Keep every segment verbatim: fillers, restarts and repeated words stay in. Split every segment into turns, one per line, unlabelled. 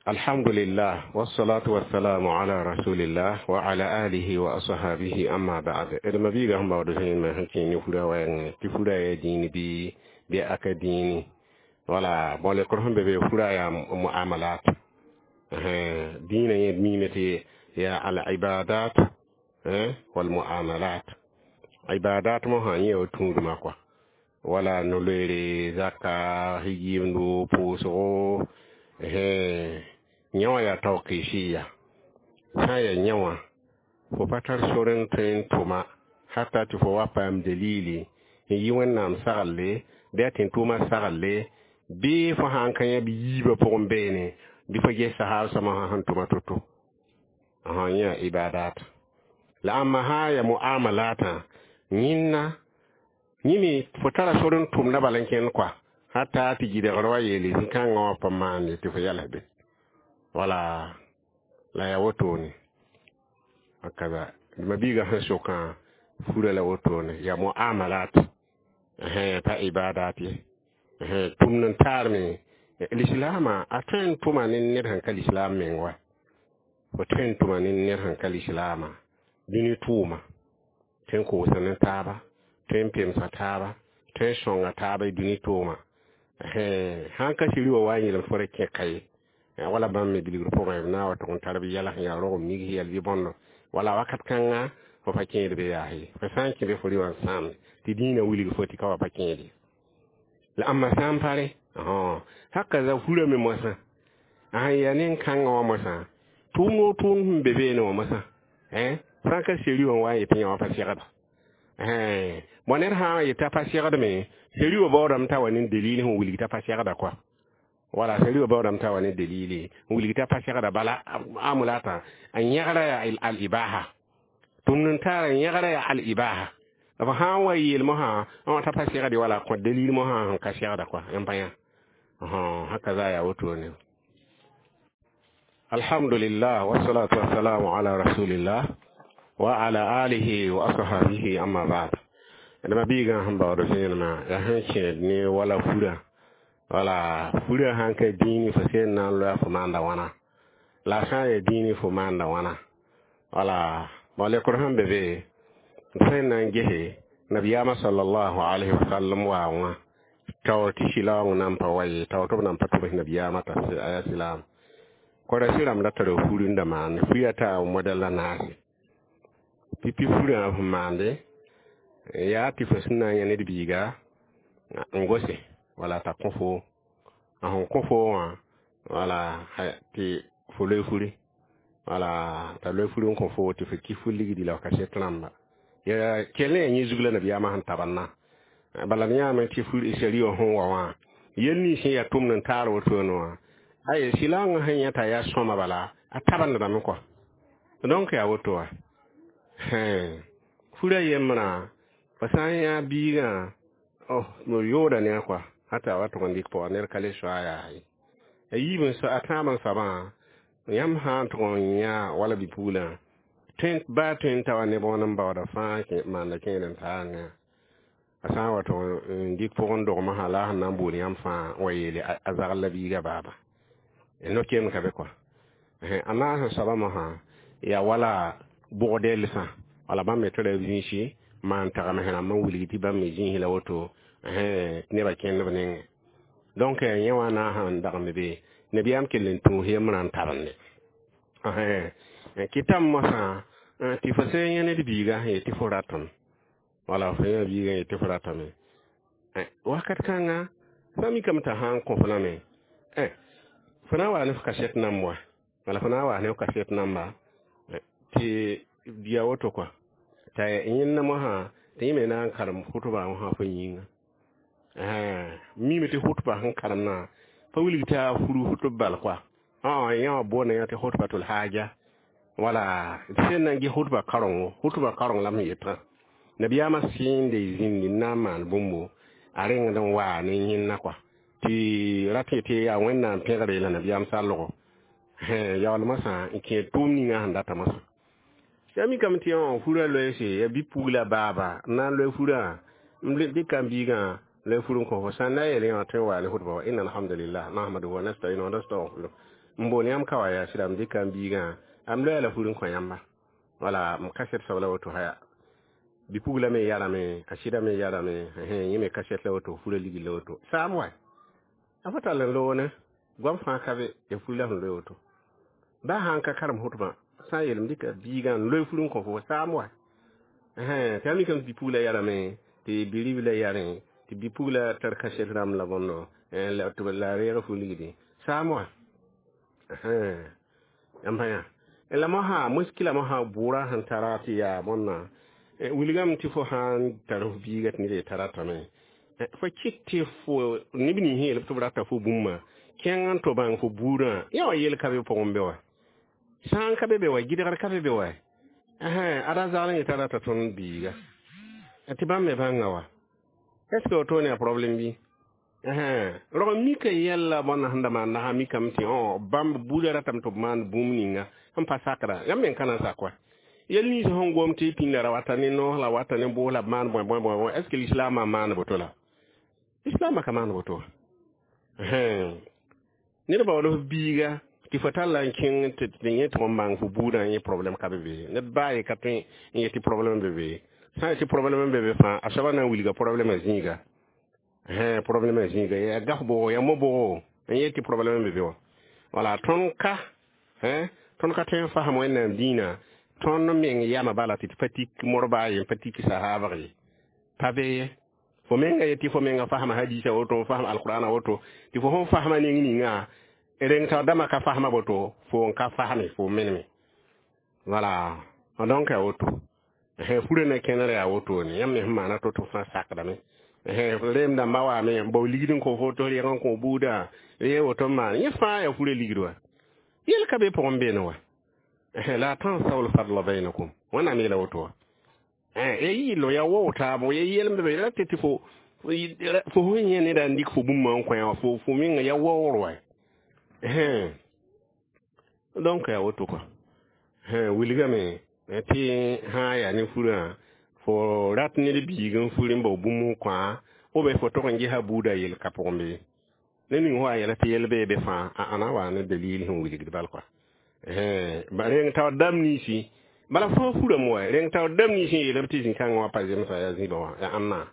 Alhamdulillah wassalatu wassalamu ala rasulillah wa ala alihi wa ashabihi amma ba'd. D mabiiga sẽn baood zẽnema sẽn kẽ ne fura wɛɛngẽ tɩ fura yaa dĩin bɩ bɩ aka dĩini wala bon lekr sẽn be be fura yaa muamalat dĩinã yẽ miime tɩ yaa al ibadat wal muamalat ibadat mosã yẽ yaa tũudmã kɔa wala no-loeere zaka yɩɩmdo pʋʋsgo yẽ wã yaa tawqifia sã n yaa yẽ wã fo pa tar sor n tõe n tʋma hata tɩ fo wa paam dalili n yi wẽnnaam saglle bɩ a tẽn-tʋʋmã saglle bɩ fo sã n ka yã bɩ yiibã pʋgẽ beene bɩ fo ges sahaab sõma sẽn tʋma to-to yẽ yaa ibadat la ãmba sã n yaa muamalatã yẽnna yẽ me fo tara sor n tʋmda bala n kẽnd kɔa hata tɩ gɩdgr wa yeele zĩ-kãngã wã pa maande tɩ fo yals be wala la yaa wotone hakaza mabiiga sẽn sokã fura la wotone yaa muamalat pa ibadat ye tʋmd n taar me lislaamã a tõe n tʋma ne ned sẽn ka lislaam meng wa fo tõe n tʋma ne ned sẽn ka lislaamã dũni tʋʋma tõe n koosda ne taaba tõe n pemsa taaba tõe n sõnga taaba y dũni tʋʋma sãn ka siri wa wa n yeelem fo ra kẽ ka ye wala bãmb me bilgr pʋgẽ b na wa tʋg n tar b yɛls n yaa rog mig yɛl bɩ bõndo wala wakat kãnga fo pa kẽed be yaa ye fo sã n kẽ be fo rɩ wã n sãamde tɩ dĩinã wilg fo tɩ ka wa pa kẽed ye la ãmba sã n pare haka za fura me moasã a sẽn yaa nen-kãngã wã moasã tʋʋm o tʋʋm sẽn be beene wã moasã sã n ka seri wã wa n yetɩ yã wã pa segda bõ ned sã n yetɩ a pa segdme seri wã baoodame t'a wa ne dalil sẽn wilg t'a pa segda kɔa wala seri wã baoodame t'a wa ne dalili n wilg t'a pa segda bala amulata a yẽgra yaa al-ibaha tʋmd n taara yẽgra yaa al-ibaha b sã n wa yeel mosã n wa t'a pa segd wala kõ dalil mosã sẽn ka segda kɔa n pa yã haka za yaa wotone alhamdulillah wassalatu wassalamu ala rasulillah wa ala alihi wa ashabihi amma ba'd d mabiigã sẽn baood zẽenemã yaa sẽn kẽed ne wala fura wala fura sãn ka dĩini fo sẽn na n loa fo maanda wãna la sã n yaa dĩini fo maanda wãna wala bon lekr sẽn be be sẽn na n gese nabiyaamã sallallahu alayhi wa sallam waa wã taoor tɩ silaoong nan pa wa ye taoor tɩ b nan pa tʋbs nabiyaamã t'a a yaa silaam korɛsɩ rãmb da tara fur n da maande fuya taa modɛl la naase pipi furã sẽn maande yaa tɩ fo sẽn na n yã ned biiga n gose wala t'a kõ fo a sẽn kõ fo wã wala tɩ fo loe furi wala t'a loe furi n kõ fo tɩ fo kɩ fu ligdi la f kaset rãmba ya kell ne yaa yẽ zug la nabiyaamã sẽn tabandã bala d yãame tɩ fur sari wã sẽn wa wã yel nins sẽn yaa tʋmd n taar wotone wã ay silaangã sẽn yã t'a yaa sõma bala a tabendame kɔa donc yaa woto wa fura yembrã fo sã n yã biigã oh yooda ne a kɔa hata wa tʋg n dɩk pʋga ned ka le soa yaa ye a yiib n a tãab n soabã yãmb sã n tʋg n yã wala bi-puglã tõe baa tõe n ta wa ne bõon n baooda fãa maanda kẽed n taar ne a sã n wa tʋg n dɩk pʋgẽ dogmsã la a sẽn na n bool yãmb fãa n wa yeele a zagl la biigã baaba no-keem ka be kɔa a naas n soabã mosã yaa wala bʋgdɛlsã wala bãmb me tara b zĩisi maan tagems rãmb n wilg tɩ bãmb me zĩis la woto tɩ nebã kẽnd b nengẽ donc yẽ wã na n sãn dag n be nabiyaam kell n tũus yembrã n tabende kɩtame mosã tɩ fo sã n yã ned biiga sẽn yet tɩ fo ratame wala fo yã biigã yet tɩ fo ratame wakat kãnga sã mikame t'a sã n kõ fo lame fo na n waa ne f kaset namb wa wala fo na n waa ne f kaset namba tɩ bia woto kɔa t'a yẽnda mosã tɩ yẽ me na n karem hʋtba wã fo yĩnga mime tɩ hʋtba sẽn karemdã pa wilg tɩ a furu hʋtb bal kɔa yã wã boonda yã tɩ hʋtbatul haja wala sẽn na n ges hʋtba karengo hʋtba kareng la m yetã nabiyaamã sẽnde zĩndi n na n maan bũmbo a rengd n waa ne yẽnna kɔa tɩ rat tɩ yaa wẽnnaam pẽgre la nabiyaam sallgo yaool mosã n kẽed tʋʋm ninga sẽn data mosã yaa mikame tɩ yã furã loeese yaa bi-pugla baaba n na n loe furã n dɩka n biigã loe fur n kõ fo sã n na n yeel yã tõe n waa ne hʋtba wa inna alhamdulillah nahmaduhu wa nasta'inu wa nastaghfiruh n bool yãmb ka wa yaa sɩda m dɩka m biigã m loya la fur n kõ yãmba wala m kaset soab la woto haya bipugla me yarame a sɩda me yarame yẽ me kaset la woto fura ligl la woto saam wa a fo tall n loone goam fãa ka be ya fur la sẽn loe woto baa sã n ka karem hotbã sã n yeelm dɩka biigã n loe fur n kõ fo saam wa tɩ a mikame tɩ bipugla yarame tɩ bi-ribla yarẽ tɩ bipugla tar kaset rãmb la bõndo tɩ la reeg fu ligdi saam wa yãmb yã la mosã muskila mosã bʋʋra sẽn tara tɩ yaa bõnna wilgame tɩ fo sãn tar f biiga tɩ ned ye tara ratame fo kɩt tɩ fo neb nins yeel tɩ b rata fo bũmba kẽng n to bãng fo buudã yã wa yel ka be pʋgẽ be wa sã n ka be be wa gɩdgr ka be be wa ada zagl n yetã rata tõnd biiga tɩ bãmb me bãnga wa est ce que woto ne a problème bɩ rog mika yɛlla bõnna sẽn da maan nasã mikame tɩ bãmb buudã ratame tɩ b maan bũmb ninga sẽn pa sakra yãmb meng ka na n sak wa yel nins sẽn gom tɩ pĩnda ra wata ne noos la wata ne bʋʋs la b maan bõe bõe bõe est ce que lislaamã maan boto la lislaamã ka maan boto ned baood f biiga tɩ fo tall n kẽng tɩ yẽ tʋg n bãng fo buudã yẽ problème ka be be ned baa ye ka tõe n yet tɩ problème be be sã n yet tɩ problème be be fãa a soaba na n wilga problème zĩiga problème zĩiga yaa gaf bʋgo yaa mo-bʋgo n yet tɩ problème be be wã wala tõnd ka tõnd ka tõe n fasem wẽnnaam dĩinã tõnd meng yama bala tɩ tɩ pa tik morba ye n pa tik sahaabg ye pa be ye fo menga ye tɩ fo menga fasma hadisa woto fasm alqur'ana woto tɩ fo sẽn fasma ning ninga reng tao dãmba ka fasma boto fo n ka fasme fo meneme wala donc ya woto furã na kẽner yaa wotone yãmb me sẽn maana to-to fãa sakdame reem dãmbã waame n bao ligd n kõ fo tɩ reg n kõ buudã ye woto n maan yẽ fãa yaa furã ligd wa yel ka be pʋgẽ beene wa la tansaw lfadla bainakum wẽnnaam yeela woto wa ya yɩɩlo ya wao taabo ya yɛlem be ra tɩ tɩ fo fo sẽn yẽ neda n dɩk fo bũmba n kõ wã fo fo menga ya waoor wa donc yaa woto kɔa wilgame tɩ sã n yaa ne furã fo rat ned biig n fur n bao bũmb n kõ ou bien fo tog n gesa buudã yel ka pʋgẽ be ne ning wa yɛla tɩ yɛl bee be fãa a ãna wa ne dalil sẽn wilgd bal kɔa reng taoor dãmb ninsi bala fãa furame wa reng taoor dãmb nins n yeelame tɩ zĩ-kãngã wã pa zemsa yaa zĩbã wã yaa ãnna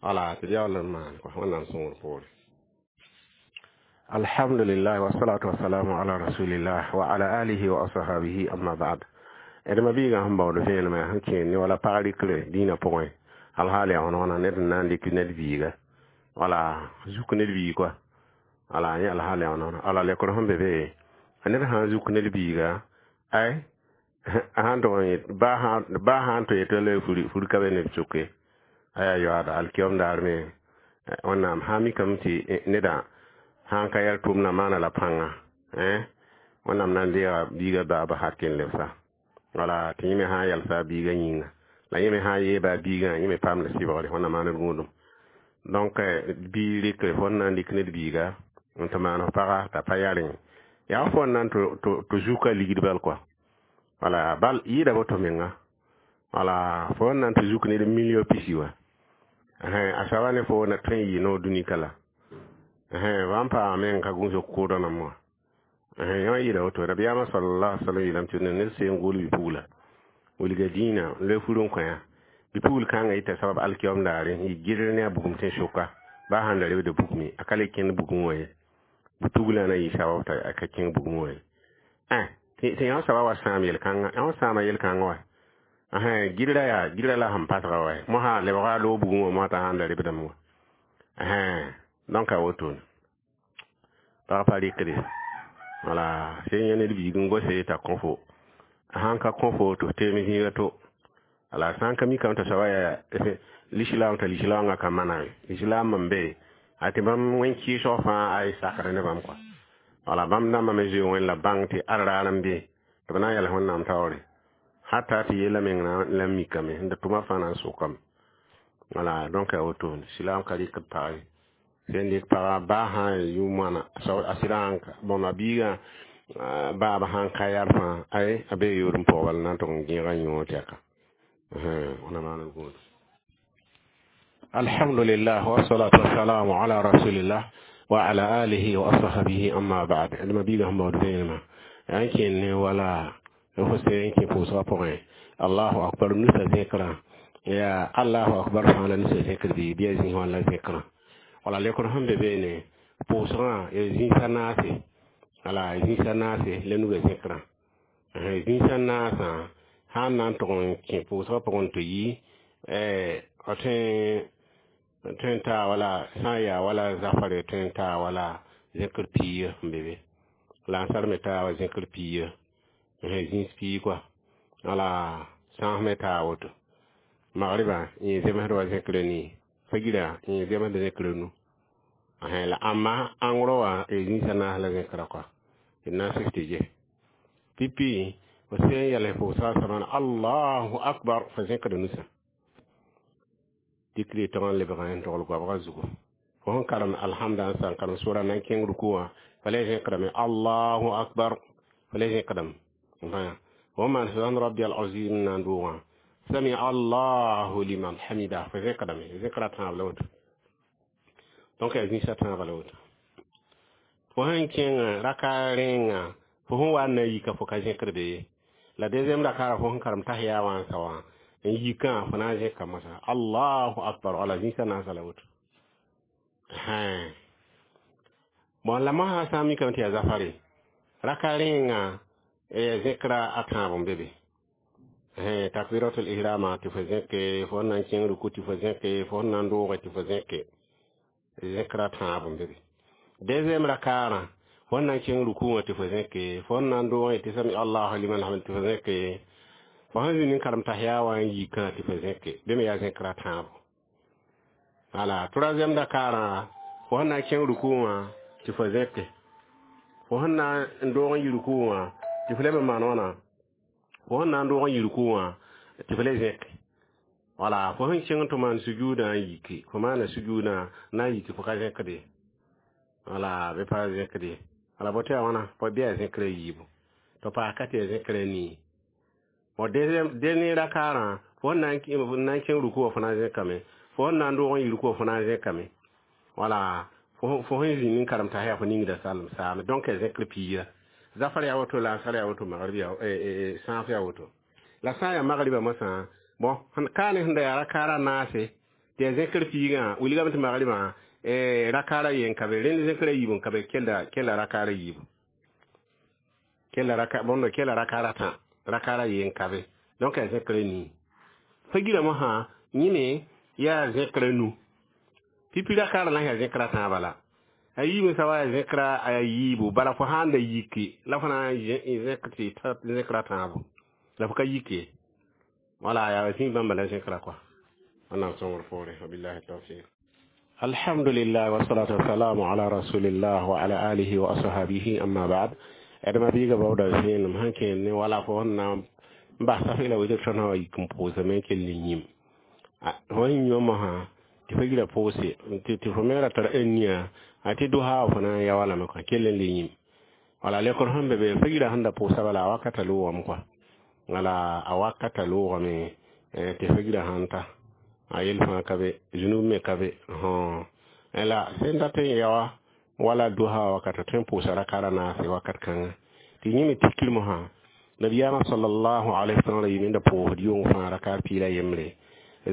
wala tɩ yaool n maan kɔa wẽnnaam sõngr poore alhamdulillah wasalatu wasalamu ala rasulillah wa ala alihi wa ashabihi amma ba'd d ma biigã sẽn baood vẽenemã sẽn kẽer ne wala pag rɩkre dĩinã pʋgẽ alhaal yaa wãna wãna ned n na n dɩk ned biiga wala zuk ned biig kɔa wala yẽ alhaal yaa wãna wãna ala lekr sẽn be be ned sã n zuk ned biiga ay sãn tʋg n yet baa sã n tɩ yetɩ la fur ka be neb sʋke aya yoaada alkiom daar me wẽnnaam sã n mikame tɩ nedã sã n ka yɛl tʋʋmdã maana la pãnga wẽnnaam na n deega biiga baaba hakke n lebsa wala tɩ yẽ me sã n yalsa a biigã yĩnga la yẽ me sã n yeeba a biigã yẽ me paamda sɩbgre wẽnnaam maand gũudum donc bii rɩkre fo n na n dɩk ned biiga n tɩ maan f paga t'a pa yarẽ yaa fo n na n tɩ zuka ligd bal kɔa wala bal yɩɩda boto menga wala fo n na n tɩ zuk ned million pisi wa a soaba ne fo na tõe n yɩ noor dũni ka la bãmb paama meng ka gũus kʋʋdã nãmb wã yã yɩɩda woto rabiyaamã sallallahu alaihi wasallam yeelame tɩ ned seen gʋʋl bipugla wilga dĩinã n loe fur n kõ bipugl kãngã yita sabab alkiom daare n yɩ gɩdr ne a bugum tẽ sʋka baa sãn da rebda bugme a ka le kẽnd bugum wã ye butuglã na yɩ sabab t'a ka kẽng bugum wã ye tɩ yã soaba wa sãam yel-kãngã yã sãama yel-kãngã wa gɩdra yaa gɩdra la sẽn pasga wa mosã lebga loog bugum wã mosã t'a sãn da rebdame wa donc a wotone pag pa rɩkde wala sẽn yẽ ned biig n gose t'a kõ fo sãn ka kõ fo tɩ f teem zĩiga to ala sã n ka mikame t'a soaba yaa lislaam t'a lislaamgã ka mana lislaam n be a tɩ bãmb wẽn-kɩɩsg fãa a y sakr ne bãmb kɔa wala bãmb dãmbã me zoe wẽn la bãng tɩ ad raar n be tɩ b na n yals wẽnnaam taoore hata tɩ yella meng la n mikame n da tʋma fãa na n sʋkame wala donc a wotone silaam ka rɩkd pag ye sẽn dɩk paga baa sã n yʋ moana a sɩda bõmba biigã baaba sãn ka yar fãa ay a bee yood n paoog bala na n tʋg n gẽega yõod tɛka wẽnnaam maan d gũud alhamdulillah wasalatu wasalamu ala rasulillah. وعلى آله وأصحابه أما بعد لما بيغا هم بعد yankin wala fo yankin pʋʋsgã pʋgẽ allahu akbar nusa zẽkrã ya allahu akbar fãa la nusa zẽkr bɩ bɩ a zĩis wã la zẽkrã wala lekr sẽn be beene pʋʋsgã ya zĩis a naase wala zĩis a naase la nuga zẽkrã zĩis a naasã sã n na n tʋg n kẽ pʋʋsgã pʋgẽ tɩ yi tõe n taa wala sã n yaa wala zafare tõe n taa wala zẽkr piiga n be be la n sar me taa wa zẽkr piiga zĩis piig kɔa wala sãas me taa woto magriba yẽ zemsd wa zẽkr nii fagira yẽ zemsd zẽkr nu la amma ãngro wã zĩis a naas la zẽkra kɔa d na n sik tɩ ge pipi fo sẽn yɛls pʋʋsga samana allahu akbar fo zẽkd nusã dikri tɩg n lebg n togl goabga zugu fo sẽn karem alhamda n sã n karem sʋra na n kẽng ruku wã fa le zẽkdame allahu akbar fa le zẽkdame fo maan subhan rabbi alazim na n doogã sami allahu liman hamida fo zẽkdame zẽkra tãab la woto donc yaa zĩisa tãabã la woto fo sẽn kẽng raka rẽnga fo sẽn wa n na n yika fo ka zẽkd be ye la deuxième rakara fo sẽn karem tahiya wã n sa wã n yikã fo na n zẽka moasã allahu akbar wala zĩisa naasã la woto bon la mosã sã n mikame tɩ yaa zafare raka rẽnga zẽkra a tãab n be be takbiratul ihrama tɩ fo zẽke fo sẽn na n kẽng ruku tɩ fo zẽke fo sẽn na n dooge tɩ fo zẽke zẽkra tãab n be be deuxième rakaarã fo sẽn na n kẽng ruku wã tɩ fo zẽke fo sẽn na n doogẽ tɩ sami allahu liman hamd tɩ fo zẽke fo sẽn zĩnd n karem tahiya wã n yikã tɩ fo zẽke bɩ me yaa zẽkra tãabo wala troisième rakaarã fo sẽn na n kẽng ruku wã tɩ fo zẽke fo sẽn na n doog n yi ruku wã tɩ fo leb n maan wãna fo sẽn na n doog n yi ruku wã tɩ fo le zẽke wala fo sẽn kẽng tɩ maan sujuudã n yiki fo maana sujuudã na n yiki fo ka zẽkde wala bɩ pa zẽkde wala bo tɩ yaa wãna fo bɩ yaa zẽkra yiibu tɩ paas ka tɩ yaa zẽkra nii bon deuxième dernier rakaarã fo sẽn na n kẽng ruku wã fo na n zẽkame fo sẽn na n doog n yi ruku wã fo na n zẽkame wala fo sẽn zĩnd n karem tahiya fo ningda salem saame donc yaa zẽkr piiga zafar yaa woto la ansar yaa woto magrib yaa sãaf yaa woto la sã n yaa magriba mosã bon kaane sẽn da yaa rakaara naase tɩ yaa zẽkr piigã wilgame tɩ magribã rakaara yen ka be rẽnd zẽkra yiibu n ka be kella kella rakaara yiibu kella raka bõndo kella rakaara tã rakaara yen ka be donc yaa zẽkra nii fagira mosã yẽne yaa zẽkra nu pipi rakaara na yaa zẽkra tãabã la a yiime sa wa yaa zẽkra a yiibu bala fo sãn da yiki la fo na n zẽk tɩ ta zẽkra tãabo la fo ka yike wala yaa zĩig bãmba la zẽkra kɔa wẽnnaam sõngr poore wabillahi tawfiq alhamdulillah wasalatu wasalamu ala rasulillah wa ala alihi wa ashabihi amma ba'd adama biiga baooda zẽenem sẽn kẽer ne wala fo sẽn na n bas tafɩla wetr tõnd sã wa yik n pʋʋsame n kell ne yĩm fo sẽn yĩmã mosã tɩ fo gira pʋʋse tɩ fo me ra tara nia a tɩ dosa fo na n ya wala me kɔa kell n le yĩm wala lekr sẽn be be fo gira sẽn da pʋʋsa bala a wakata loogame kɔa wala a wakata loogame tɩ fo gira sãn ta a yel fãa ka be zũnub me ka be la sẽn dat n ya wa wala dosa wakata tõe n pʋʋsa rakara naase wakat kãnga tɩ yẽ me tikr mosã nabiyaamã sallallahu alaihi wasallam ra yɩm da pʋʋsd yʋng fãa rakar piila yembre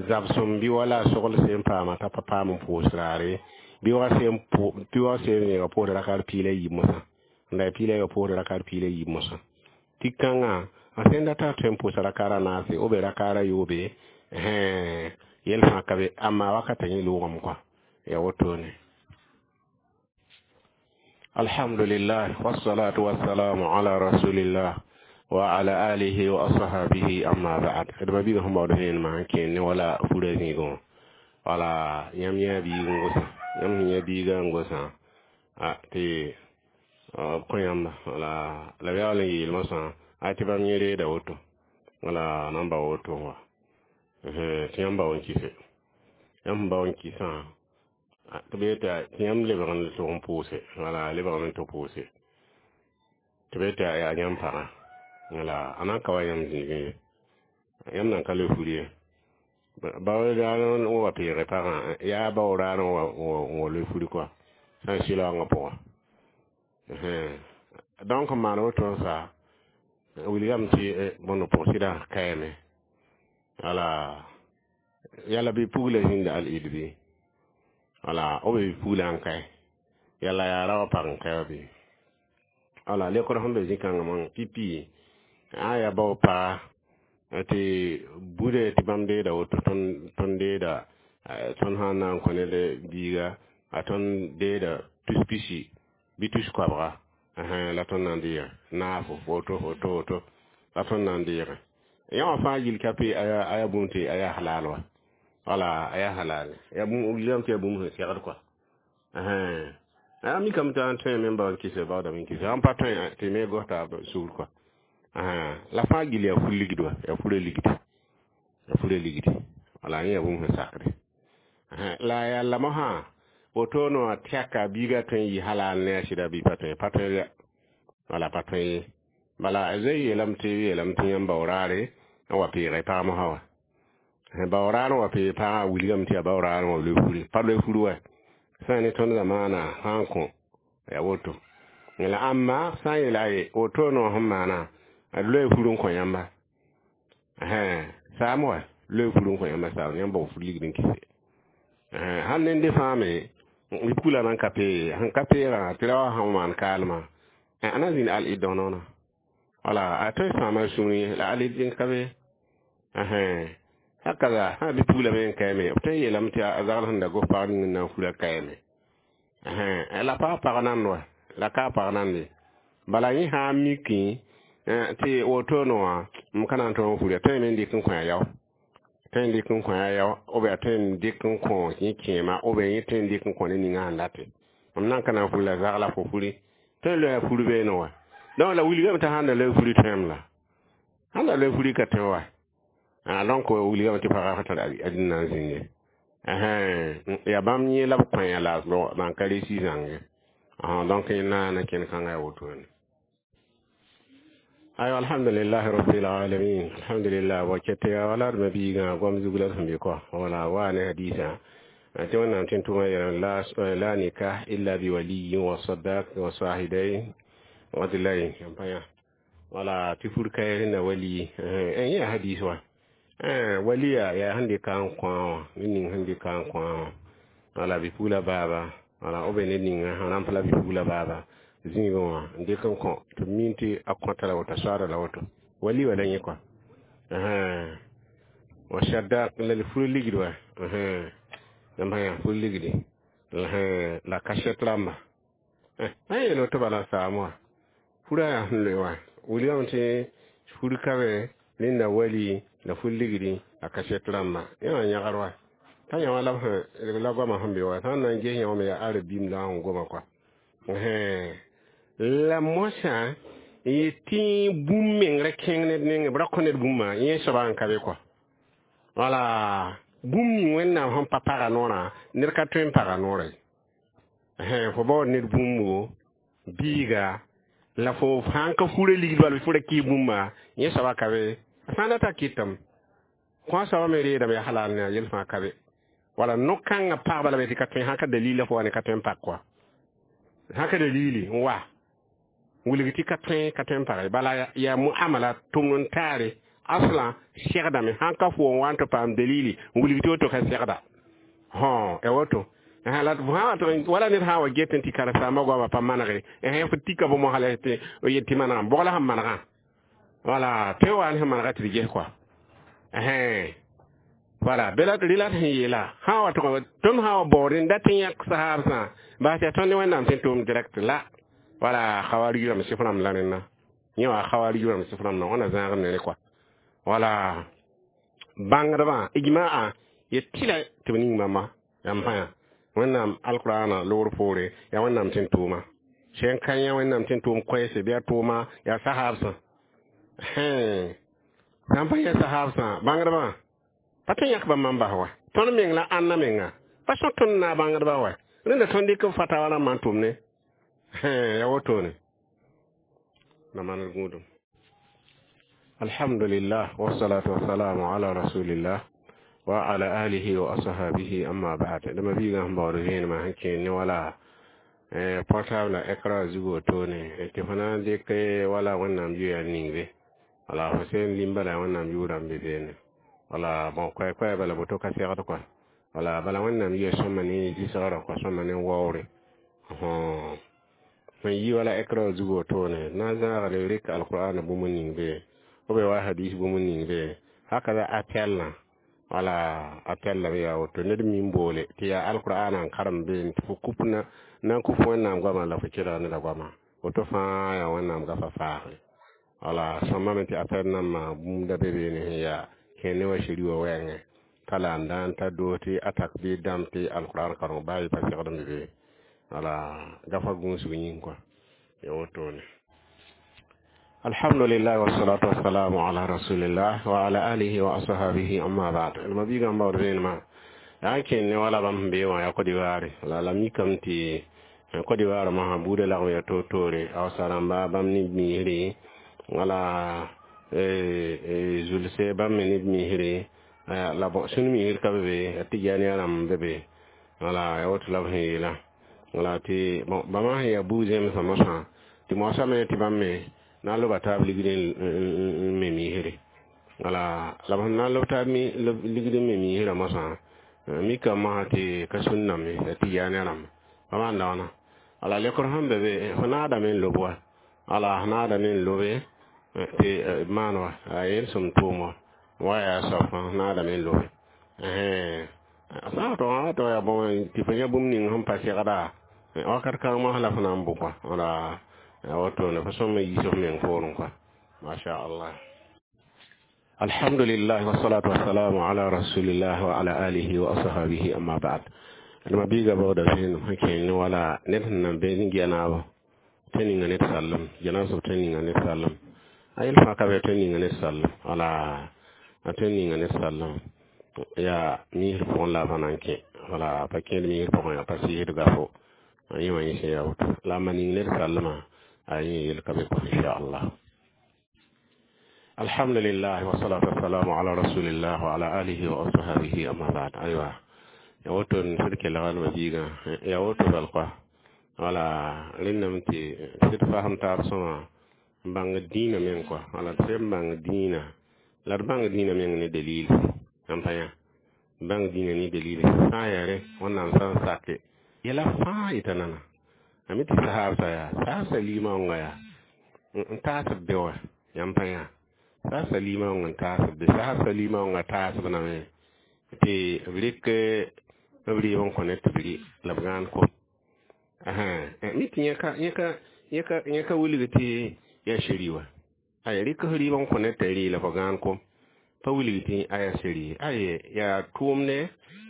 zabsem bɩ wala sogl sẽn paama t'a pa paam n pʋʋs raare bɩ wa sẽn bɩ wa sẽn yẽga pʋʋsd rakar piila yiib mosã n da piila yẽga pʋʋsd rakar piila yiib mosã tɩ kãngã a sẽn data tõe n pʋʋsa rakara naase o be rakara yoobe yɛl fãa ka be amma wakata yẽ loogame kɔa ya wotone alhamdulillah wassalatu wassalamu ala rasulillah wa ala alihi wa ashabihi amma ba'd adama biiga sẽn baood vẽenemã n kẽer ne wala fura zĩigẽ wala yãmb yã biig n gosã yãmb sẽn yã biigã n gosã tɩ b kõ yãmba wala la b yaool n yeel mosã a tɩ bãmb yẽ reeda woto wala nan ba woto wa tɩ yãmb bao n kɩse yãmb sẽn bao n kɩsã tɩ b yeta tɩ yãmb lebg n tʋg n pʋʋse wala lebgame tɩ pʋʋse tɩ b yeta yaa yãmb pagã wala a nan ka wa yãmb zĩigẽ ye yãmb nan ka le furi ye bao raar n wa peege pagã yaa bao raar n wa le furi kɔa sã n sɩlaoongã pʋgã. Donc n maan woto n sa wilgame tɩ bõnd pʋg sɩda kaame. Wala yala bɩ pugla zĩnda al-id bɩ wala b be pugla n kae yala yaa ra wa pag n kae wa bɩ wala lekr sẽn be zĩ-kãngã mãng pipi a yaa bao paga tɩ bude tɩ bãmb deeda woto tõnd deeda tõnd sã n na n kõ ned biiga a tõnd deeda tus pisi bɩ tus koabga la tõnd na n deege naafo woto woto woto la tõnd na n deege yã wã fãa yil ka pe a yaa bũmb tɩ a yaa halal wa wala a yaa halal ya bũmb wilgame tɩ yaa bũmb sẽn segd kɔa a mikame tɩ a tõe me n bao n kɩse baoodame n kɩse sãn pa tõe tɩ me gos taab sugr kɔa la fãa gill yaa fur ligd wa yaa fura ligdi yaa fura ligdi wala yẽ yaa bũmb sẽn sakde la yaa la mosã woto no a tɛka biiga tõe n yɩ halal ne a sɩda bɩ pa tõe pa tõe ya wala pa tõe ye bala a zoe yeelame tɩ yeelame tɩ yãmb bao-raare n wa peege pag mosã wa bao-raar n wa peeg pagã a wilgame tɩ yaa bao-raar n wa loe furi pa loe furi wa sã n ne tõnd zamaana sã n kõ yaa woto la ãmba sã n yeela ye woto no sẽn maana a loe fur n kõ yãmba saam wa loe fur n kõ yãmba saam yãmb bao fur ligd n kɩse sãn nende fãa me bɩ pugla nan ka pee sẽn ka peegã tɩ ra wa sã n maan kaalmã a na zĩnd al-id dõnoona wala a tõe sãama sũurẽ la al-id n ka be hakaza sã bɩ pugla me n kaame b tõe n yeelame tɩ a zagl sẽn da gos pag ning n na n fura kaame la pa pag nand wa la ka pag nande bala yẽ sã n mikẽ tɩ woto wã m ka na n tõog n fura tõe me n dɩk n kõ a yao tõe n dɩk n kõ a yao b yaa tõe n dɩk n kõ yẽ kẽema b yẽ tõe n dɩk n kõ ne ninga sẽn date m nan ka na n fur la zagla fo furi tõe n loe a fur beene wa donc la wilgame tɩ sãn da loe furi tõem la sãn da loe furi ka tõe wa ah donc wilgame tɩ pagã fa tar adĩn na n zĩnd ye yaa bãmb yẽ la b kõ la ban ka reesi zãnge donc na na kẽnd kãngã yaa wotone. Ayo, alhamdulillah rabbil alamin, alhamdulillah. Wa kete ya wala ma biiga gom zugla sẽn be kɔ wala wa ne hadisa tɩ wẽnnaam tɩ n tʋma yeelame la la nikah illa bi waliyin wa sadaq wa sahidain adlain pa yã wala tɩ fur ka rẽnda wali yẽ yaa hadis wa waliya yaa sẽn dɩka n kõ wã ned ning sẽn dɩka n kõ wã wala bɩ pugla baaba wala b ned ninga sẽn rãmp la bɩ pugla baaba zĩigẽ wã n dɩk n kõ tɩ b min tɩ a kõta la woto a soaada la woto wali wa la yẽ kɔa wa sadaq la fur ligd wa yãmb yã fur ligdi la kaset rãmba a yeel woto bala saam wã furã yaa sẽn loe wã wilgame tɩ fur ka be rẽnda wali la fur ligdi la kaset rãmba yẽ wã yãgr wa t'a yã wã la la goamã sẽn be wa sã n na n ges yã wã me yaa arabim la sẽn goma kɔa la mosã yetɩ bũmb meng ra kẽng ned nengẽ b ra kõ ned bũmba yẽ soaba n ka be kɔa wala bũmb ning wẽnnaam sẽn pa paga noorã ned ka tõe n paga noorã ye fo baood ned bũmbo biiga la fo sãn ka fura ligd bal fo ra kɩ bũmba yẽ soaba ka be a sã n data kɩtame kõ soaba me reedame yaa halal ne a yel fãa ka be wala no-kãngã pagba lame tɩ ka tõe sã ka dalila fo wa ne ka tõe n pak kɔa sã ka dalili n wa wilg tɩ ka tõe ka tõe n page bala yaa muamala tʋmd n taare asla segdame sãn ka fo n wa n tɩ paam dalili n wilg tɩ woto ka segda hõ ya woto la wala ned sã n wa get n tɩ karen-saambã goamã pa manege fo tika bõ mosã la tɩ yet tɩ manegame bog la sẽn manegã wala tõe wa ne sẽn manega tɩ d ges kɔa wala bela rɩla sẽn yeela sã wa tʋg tõnd sã wa baood n dat n yãk sahaabsã bas yaa tõnd ne wẽnnaam tɩ n tʋʋm direct la wala khawarij rãmb sɩf rãmb la rẽnna yẽ wa khawarij rãmb sɩf rãmb wãna zãagd ne rẽ kɔa wala bãngdbã ijma'a yet tɩla tɩ b ning bãmba yãmb pãyã wẽnnaam alqurana loogr poore yaa wẽnnaam tɩ n tʋʋma sẽn ka yã wẽnnaam tɩ n tʋʋm koɛɛse bɩ a tʋʋma yaa sahaabsã sãn pa yã sahaabsã bãngdbã pa tõe n yãk bãmb n bas wa tõnd meng la ãnna menga pa sõ tõnd na bãngdbã wa rẽnda tõnd dɩk b fatawa rãmbã n tʋm ne ya wotone na manal gũudum. Alhamdulillah, wassalatu wassalamu ala rasulillah wa ala alihi wa ashabihi, amma ba'd. Dama biiga sẽn baood vẽenemã sẽn kẽer ne wala Portable écran zugu wotone tɩ fo na n dɩk wala Wẽnnaam yʋya n ning be, wala fo sẽn lim bala Wẽnnaam yʋʋrã n be beene, wala bon koɛɛ-koɛɛ bala woto ka segd kɔa, wala bala Wẽnnaam yʋya sõma ne zɩsgrã kɔa, sõma ne waoore sẽn yi wala écran zugu wotone na n zãagd rɩk alqur'an bũmb n ning be, b wa hadis bũmb n ning be hakaza appel wala appel la yaa woto ned mi n boole tɩ yaa alqur'an n karem beene tɩ fo kup na n kʋf Wẽnnaam goamã la fo kelg neda goamã woto fãa yaa Wẽnnaam gafa faagre. Wala sõmame tɩ appel nambã bũmb da be beene sẽn yaa kẽer ne wa shiri wã wɛɛngẽ t'a la n daan t'a doos tɩ a takbir dãmb tɩ alqur'an kareng baa yɩ pa segd n be be, wala gafa gũusg yĩng kɔa ya wotone. Alhamdulillah, wassalatu wassalamu ala rasulillah wa ala alihi wa ashabihi, amma ba'd. Ma biiga n baood vẽenemã yaa n kẽnd ne wala bãmb sẽn bee wã yaa Côte d'Ivoire la la mikame tɩ Côte d'Ivoire mosã buudã lagm ya toor-toore Hausa rãmba bãmb ne misre, wala zulse bãmb me ne misre, la bon sũn misr ka be be, ya Tɩjaniya rãmb be be, wala ya woto la b sẽn yeelã, wala tɩ bon bãmba sẽn yaa buug-zẽmsã mosã tɩ moasame tɩ bãmb me na n loba taab ligd n me misre, wala la b sẽn na n lob taab ligd n me misrã mosã mikame mosã tɩ ka sũn name ya Tɩjaani rãmba pa maan dagna, wala lekr sẽn be be fo naadame n lob wa, wala f naadame n lobe tɩ maan wa a yel sẽm tʋʋm wa wa yaa soab fãa naadame n lobe sã n tog tɩ yaa bõe tɩ fo yã bũmb ning sẽn pa segda wakat kãng mos la fo na n bʋ kɔa, wala wotone fo sõm n yiis f meng poorẽ kɔa, masha Allah. Alhamdulillah, wassalatu wassalamu ala rasulillah wa ala alihi wa ashabihi, amma ba'd. Ma biiga baooda vẽenem sẽn kẽng ne wala ned sẽn nan be ne gɛnaabo tɩ ninga ned sallem gɛnaab soab tɩ ninga ned sallem a yel fãa ka be tɩ ninga ned sallem, wala a tɩ ninga ned sallem yaa misr pʋgẽ la a pa na n kẽ, wala pa kẽed misr pʋgẽ yaa pa sɩɩsd gafo a yẽ wã yẽ sẽn yaa woto la a ma ning ned sallemã a yẽ yel ka be kɔ inchallah. Alhamdulillah, wassalatu wassalamu ala rasulillah wa ala alihi wa ashabihi, amma ba'd. Aywa, ya woto n sɩd kelga ma biigã ya woto bal kɔa, wala rẽndame tɩ sɩd fasem taab sõma n bãng dĩinã meng kɔa, wala tɩ sẽn bãng dĩinã la d bãng dĩinã meng ne dalil n pa yã bãng dĩinã ne dalil sã n yaa rẽ Wẽnnaam sã n sake yɛla fãa yeta nana a mi tɩ sahaabsã yaa sahabsã limaoongã yaa n taasb be wa yãmb pa yã sahabsã limaoongã n taasb be, sahabsã limaoongã taasb name tɩ b rɩk b rɩɩb n kõ ne tɩ b rɩ la b gãan kom mi tɩ yẽ ka wilg tɩ yaa sheri wa ay rɩk f rɩɩb n kõ ne t'a rɩ la fo gãan kom pa wilg tɩ a yaa sheri aye yaa tʋʋmde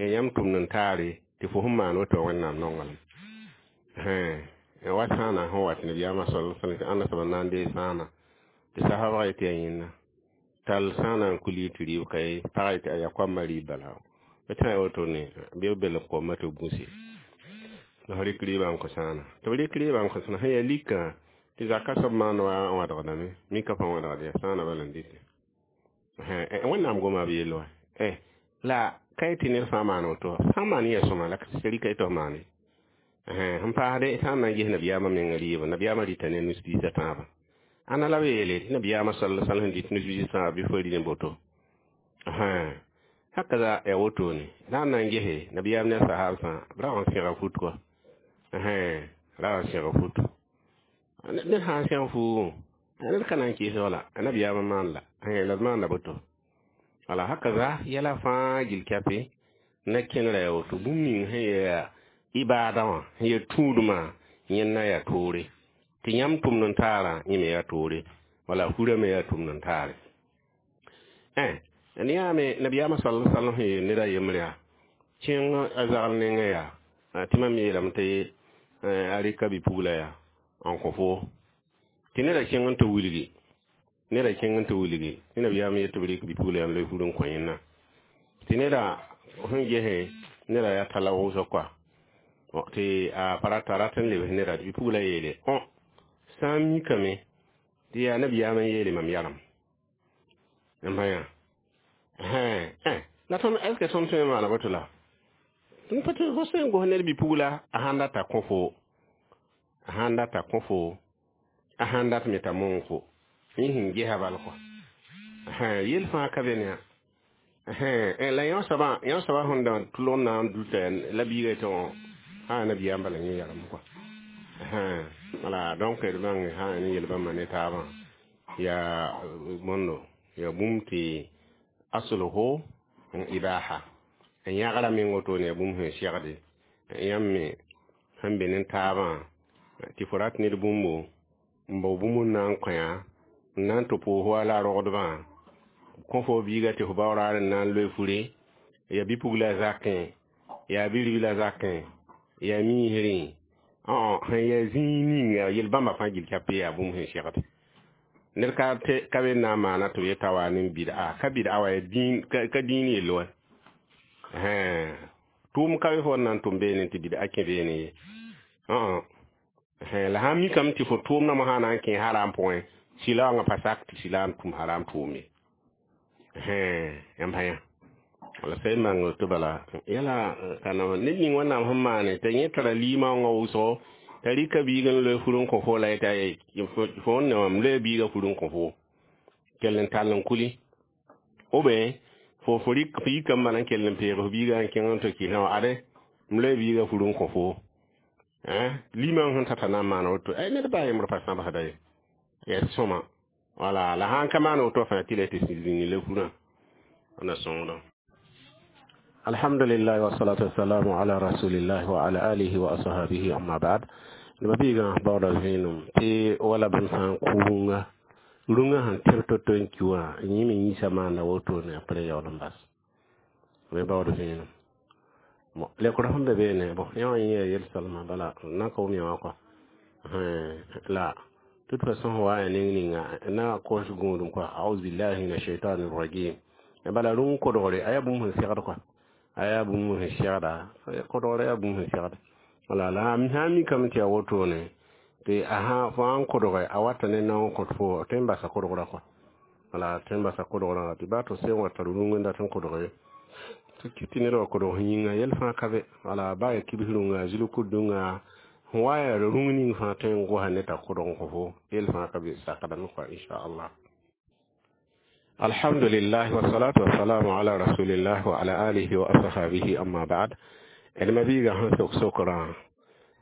ya yãmb tʋmd n taare tɩ fo sẽn maan woto Wẽnnaam nonglem wa sãana sẽn wa tɩ nabiyaamã sal ãnda soab n na n dee sãana tɩ sahaba yetɩ yaa yẽnna tall sãana n kuli tɩ rɩɩb ka ye pag yetɩ aya koamã rɩɩb bala tã ya wotone bɩ b belg koamã tɩ b gũse la f rɩk rɩɩbã n kõ sãana tɩ b rɩk rɩɩbã n kõ sãana sẽn yaa lika tɩ zaka soab maan wa n wãdgdame mika pa wãdgd yaa sãana bala n dɩte Wẽnnaam goma b yell wa la ka yetɩ ned fãa maan woto sã n maan yaa sõma la rɩka tɩ f maane sẽn paasde sã n na n ges nabiyaamã menga rɩɩbã nabiyaamã rɩta ne nus-biisã tãabã ãnna la b yeele tɩ nabiyaamã sal sal sẽn dɩt nus-biisã tãabã bɩ fo rɩ ne boto hakaza ya wotone la n na n gese nabiyaam ne a sahabsã b rag n sẽga fut kɔa rag n sẽg fut ned sã n sẽg fuugẽ ned ka na n kɩɩs wala nabiyaamã maan la la d maanda boto wala hakaza yɛla fãa gil kɛpe na kẽnera ya woto bũmb ning sẽn yaa ibaada wã sẽn yaa tũudmã yẽnna yaa toore tɩ yãmb tʋmd n taarã yẽ me yaa toore wala furã me yaa tʋmd n taare ne yaame nabiyaamã sal sal sẽn yeel ned a yembre yaa kẽng a zagl nengẽ yaa tɩ mam yeelame tɩ a rɩka bi-pugla yaa n kõ fo tɩ neda kẽng n tɩ wilgi neda kẽng n tɩ wilgi tɩ nabiyaam yet tɩ b rɩk bi-pugla yãmb la fur n kõ yẽnna tɩ neda sẽn gese neda yaa tala wʋsg kɔa tɩ a pa rata rat n lebs neda tɩ bi-pugla yeele õ sã n mikame tɩ yaa nabiyaam n yeele mam yalem n pa yã la tõnd est ce que tõnd tõe n maana boto la tõnd pa tɩ fo sẽn gos ned bi-pugla a sãn data kõ fo A sãn data kõ fo, a sãn dat me t'a mong fo, yẽ sẽn gesa bal kɔa. Yel fãa ka be ne la yõ soabã, yõ soabã sẽn da tʋlg n na n dʋta la biiga tɩ sã nabiyaam bala yẽ yagem kɔa. Wala, donc d bãng sã ne yel bãmba ne taabã yaa bõndo yaa bũmb tɩ asluhu ibaha n yãgra meng wotone yaa bũmb sẽn segde yãmb me sẽn be ne taabã tɩ fo rat ned bũmbo n bao bũmb n na n kõ-yã n na n tɩ pʋʋs wa la a rogdbã kõ fo biiga tɩ fo bao raar n na n loe fure yaa bi-pugla zakẽ yaa bi-ribla zakẽ yaa miisrẽ sẽn yaa zĩig ninga yel-bãmba fãa gill ka pe yaa bũmb sẽn segd ned ka ka be na n maana tɩ b yeta wa ne bid'a ka bid'a wa ka dĩin yell wa tʋʋm ka be fo n na n tʋm beene tɩ bid'a kẽ beene ye la sãn mikame tɩ fo tʋʋmdã mosã na n kẽ haram pʋgẽ sɩla wãngã pa sak tɩ sɩla n tʋm haram tʋʋm ye yãmb sã yã wala sã y mang tɩ bala yala ka ned ning Wẽnnaam sẽn maane t'a yẽ tara liimã wãngã wʋsgo t'a rɩka biig n loe fur n kõ fo la yeta fo n ne wã m loe biigã fur n kõ fo kell n tall n kuli ou bien fo fo rɩk fo yikame bala n kell n peeg fo biigã n kẽng n tɩ kɩsã wã ade m loe biigã fur n kõ fo liimã sẽn tata na n maana woto ay ned baa yembr pa sãbsda ye yaa sõma wala la sãn ka maan woto fãa tɩ la tɩ zĩni la furã na sõngdã. Alhamdulillah wassalatu wassalamu ala rasulillah wa ala alihi wa ashabihi amma ba'd. Neba biigã baooda vẽenem tɩ wala bãmb sã n kʋ rũngã rũngã sẽn tẽb to-to n ki wã yẽ me yĩsa maanda wotone apre yaool n bas me baood vẽenem. Bon, lekr sẽn be beene bon yã wã yẽ yaa yel-salma bala na ka wʋm yã wã kɔa la toute façon wa ya ning ninga na kos gũudum kɔa a'udhu billahi minash shaitani rajim bala rũng kodgre a yaa bũmb sẽn segd kɔa a yaa bũmb sẽn segda kodgre yaa bũmb sẽn segd wala la sã n mikame tɩ yaa wotone tɩ a sã fo sãn kodge a wata ne naong kõt fo tõe n basa kodgrã kɔa wala tõe n basa kodgrã tɩ baa tɩ sẽn wa tar rũng n dat n kodge tɩ ned wa kodg yĩnga yɛl fãa ka be wala baa yaa kibs rũnga zulk-rũnga sẽn wa yaa rũng ning fãa tõe n gosa ne t'a kodg n kõ fo yel fãa ka be sakdame kɔa inchallah. Alhamdulillah wassalatu wassalamu ala rasulillah wa ala alihi wa ashabihi amma ba'd. D ma-biigã sẽn sok sokrã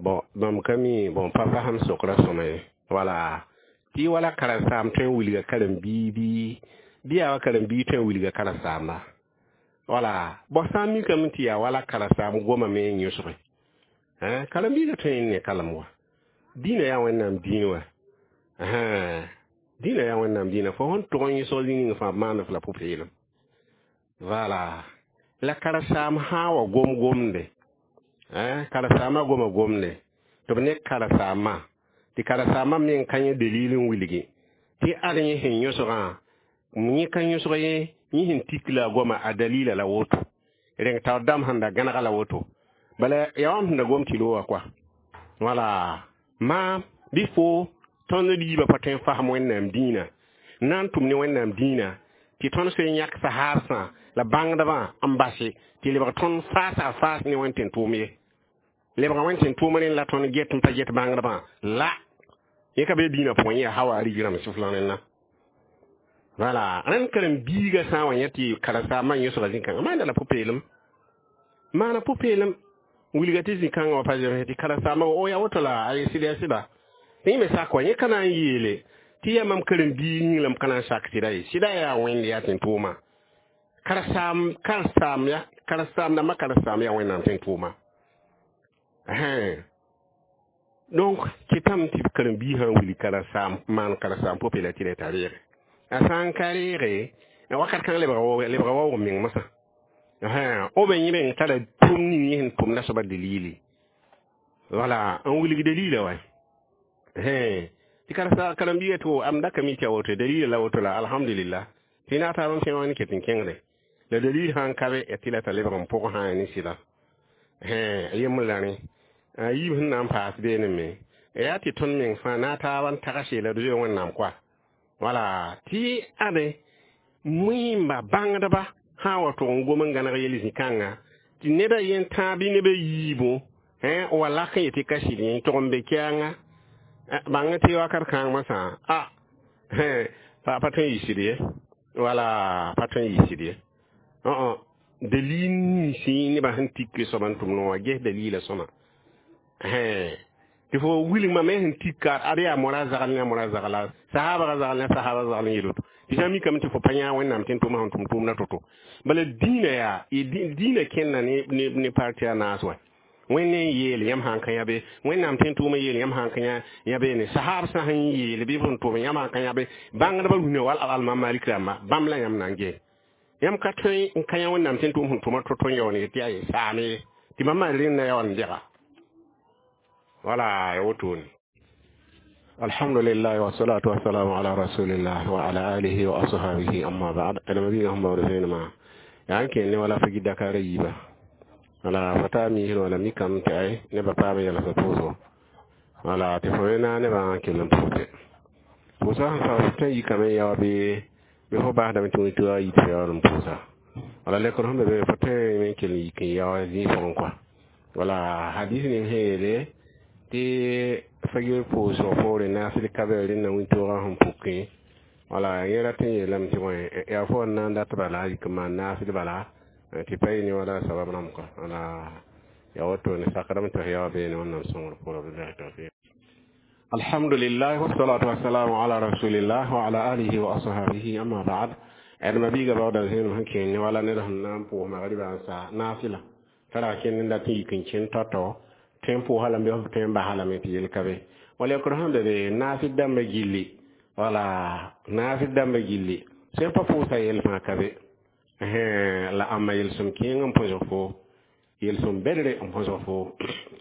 bon bãmb ka mi bon pa fasem sokra sõma ye wala tɩ wala karen-saam tõe n wilga karen-biig bɩ bɩ yaa wa karen-biig tõe n wilga karen-saamba wala bon sã n mikame tɩ yaa wala karen-saam goma me n yõsge karen-biigã tõe n ne kalem wa dĩinã yaa Wẽnnaam dĩin wa dĩinã yaa Wẽnnaam dĩinã fo sẽn tʋg n yõsg zĩ ning fãa b maand f la pʋ-peelem wala la karen-saam sã wa gom gomde karen-saamã goma gomde tɩ b ne karen-saamã tɩ karen-saamã meng ka yẽ dalil n wilgi tɩ ad yẽ sẽn yõsgã yẽ ka yõsg ye yẽ sẽn tik la a goma a dalila la woto rẽng taoor dãmb sẽn da gãnega la woto bala yaa wãmb sẽn da gom tɩ wa kɔa wala maam bɩ fo tõnd riibã pa tõe n fasem Wẽnnaam dĩinã n na n tʋm ne Wẽnnaam dĩinã tɩ tõnd soe n yãk sahaabsã la bãngdbã n base tɩ lebg tõnd faasa faas ne Wẽnd tẽn-tʋʋm ye lebga Wẽnd tẽn-tʋʋm rẽnd la tõnd get n pa get bãngdbã la yẽ ka be dĩinã pʋgẽ yaa hawa rig rãmb sɩfla rẽnna wala rẽnd karen-biigã sã n wa yẽ tɩ karen-saambã yõsga zĩ-kãngã maanda la pʋ-peelem maana pʋ-peelem wilga tɩ zĩ-kãngã wa pa zems tɩ karen-saambã o yaa woto la a sɩd yaa sɩda tɩ yẽ me sak wa yẽ ka na n yeele tɩ yaa mam karen-biig yĩng la m ka na n sak sɩda ye sɩda yaa Wẽnd yaa tẽn-tʋʋma karen-saam karen-saam ya karen-saam dãmbã karen-saam yaa Wẽnnaam tẽn-tʋʋma donc kɩtame tɩ karen-biig sã n wilg karen-saam maan karen-saam pʋ-peela tɩ la t'a reege a sã n ka reege wakat kãng lebga waoog meng mosã o be yẽ meng tara tʋm ning yẽ sẽn tʋmda soaba dalili wala n wilg dalila wa tɩ karen-biigã tɩ am da ka mi tɩ a woto dalila la woto la alhamdulillah tɩ na taab n kẽng wã ne ket n kẽngde la dalil sã n ka be tɩ la t'a lebg n pʋg sã ne sɩda yembr la rẽ a yiib sẽn na n paas beene me yaa tɩ tõnd meng fãa na taab n tags yeela d zoe Wẽnnaam koa wala tɩ ade wẽmba bãngdba sã n wa tʋg n gom n gãneg yel zĩ-kãnga tɩ neda yen tãa bɩ neb a yiibu wa lak n yetɩ ka sɩd yẽ tʋg n be kɛɛnga Bãng tɩ wakat kãng masã a pa pa tõe n yisd ye, wala pa tõe n yisd ye. Dalil ninsẽ nebã sẽn tik soab n tʋm wã, ges dalila sõma tɩ fo wilgmã me sẽn tik ka ad yaa mora zagl ne a mora zagla, sahabga zagl ne sahaba zagl n yel woto tɩ sã n mikame tɩ fo pa yã Wẽnnaam tɩ n tʋma sẽn tʋm tʋʋmdã to-to. Bala dĩinã yaa dĩinã kẽnda ne ne parti a naas wa. Wẽnd n yeel yãmb sã n ka yã be, Wẽnnaam tɩ n tʋʋmã yeel yãmb sã n ka yã beene, sahab sã sẽn yeel bɩ sẽn tʋm yãmb sã n ka yã be, bãngdbã rũnã wal almam Malik rãmba bãmb la yãmb na n ges. Yãmb ka tõe n ka yã Wẽnnaam tɩ n tʋʋm sẽn tʋma to-to n yaool n yet tɩ yaa ye saame ye tɩ mam maan rẽndã ya wa n dɛga wala ya wotone. Alhamdulillah, wassalatu wassalamu ala rasulillah wa ala alihi wa ashabihi, amma ba'd. Adama bi hamba wa ma ya anke ne wala fagi Dakar yiba wala fata mi wala mi kam tay ne ba pa yala sa poso wala te fo na ne ba ke lam pote posa fa ta yi kam ya be be fo ba da mi tu tu yi te ya lam posa wala le ko hambe be fo te men ke yi ke ya zi fo quoi. Wala hadith ni hele tɩ fagir pʋʋsg poore naasd ka-bɛɛr rẽnna wĩntoogã sẽn pʋkẽ wala yẽ rat n yeelame tɩ bõe yaa fo n na n dat bala yik n maan naasd bala tɩ pa yɩ ne wala sabab rãmb kɔ wala ya wotone sakdame tɩ f yaoa beene Wẽnnaam sõngr pʋgã. Billahi tawfiq. Alhamdulillah, wassalatu wassalamu ala rasulillah wa ala alihi wa ashabihi, amma ba'd. Adma biiga baoodã zẽenem sẽn kẽng ne wala ned sẽn na n pʋʋs magribã n sa naafɩla tara kẽnd n dat n yik n kẽnd tao-tao tõe n pʋʋsa lame bɩ tõe n basa lame tɩ yel ka be wala yakr sẽn be be naafɩd dãmbã gilli wala naafɩd dãmbã gilli sẽn pa pʋʋsa yel fãa ka be la ãmba yelsem kẽeng n põsg fo yelsem bedre n põsg fo.